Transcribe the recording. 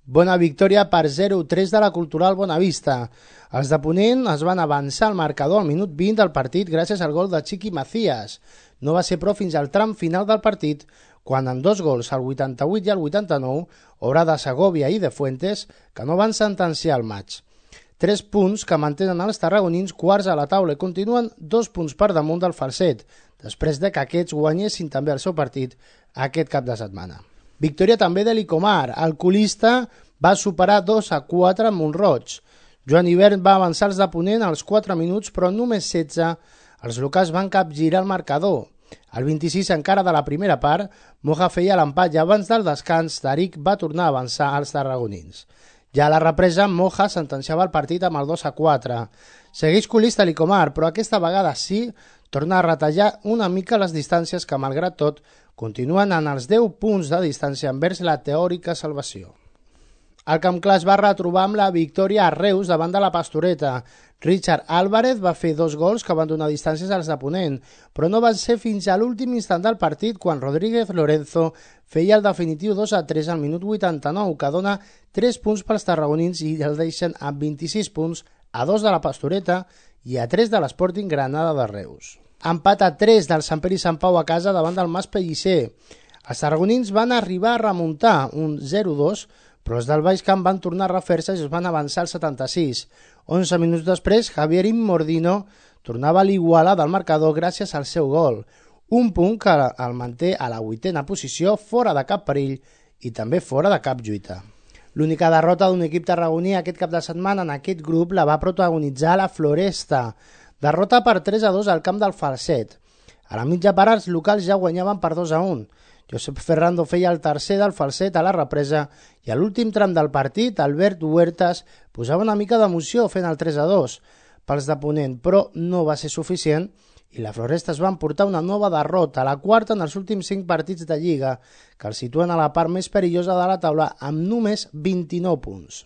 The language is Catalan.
Bona victòria per 0-3 de la Cultural Bonavista. Els de Ponent es van avançar al marcador al minut 20 del partit gràcies al gol de Chiqui Macías. No va ser però fins al tram final del partit, quan amb dos gols, al 88 i al 89, obra de Segovia i de Fuentes, que no van sentenciar el maig. 3 punts que mantenen els tarragonins quarts a la taula i continuen 2 punts per damunt del Falset, després de que aquests guanyessin també el seu partit aquest cap de setmana. Victòria també de l'Icomar. El colista va superar 2-4 amb Montroig. Joan Ibert va avançar els de Ponent als 4 minuts, però només 16 els locals van capgirar el marcador. Al 26 encara de la primera part, Moja feia l'empat i abans del descans, Tariq va tornar a avançar als tarragonins. Ja a la represa, Moja sentenciava el partit amb el 2-4. Segueix colista l'Icomar, però aquesta vegada sí torna a retallar una mica les distàncies que, malgrat tot, continuen en els 10 punts de distància envers la teòrica salvació. El Camp Clar es va retrobar amb la victòria a Reus davant de la Pastoreta. Richard Álvarez va fer 2 gols que van donar distàncies als de Ponent, però no van ser fins a l'últim instant del partit quan Rodríguez Lorenzo feia el definitiu 2-3 al minut 89, que dona 3 punts pels tarragonins i el deixen amb 26 punts, a 2 de la Pastoreta i a 3 de l'Sporting Granada de Reus. Empat a 3 del Sant Pere i Sant Pau a casa davant del Mas Pellicer. Els tarragonins van arribar a remuntar un 0-2, però els del Baix Camp van tornar a refer-se i es van avançar al 76. 11 minuts després, Javier Immordino tornava a l'iguala del marcador gràcies al seu gol. Un punt que el manté a la 8a posició, fora de cap perill i també fora de cap lluita. L'única derrota d'un equip tarragoní aquest cap de setmana en aquest grup la va protagonitzar la Floresta. Derrota per 3-2 al camp del Falset. A la mitja part els locals ja guanyaven per 2-1. Josep Ferrando feia el tercer del Falset a la represa i a l'últim tram del partit Albert Huertas posava una mica d'emoció fent el 3-2 pels de Ponent, però no va ser suficient i la Floresta es va emportar una nova derrota, la quarta en els últims 5 partits de Lliga, que els situen a la part més perillosa de la taula amb només 29 punts.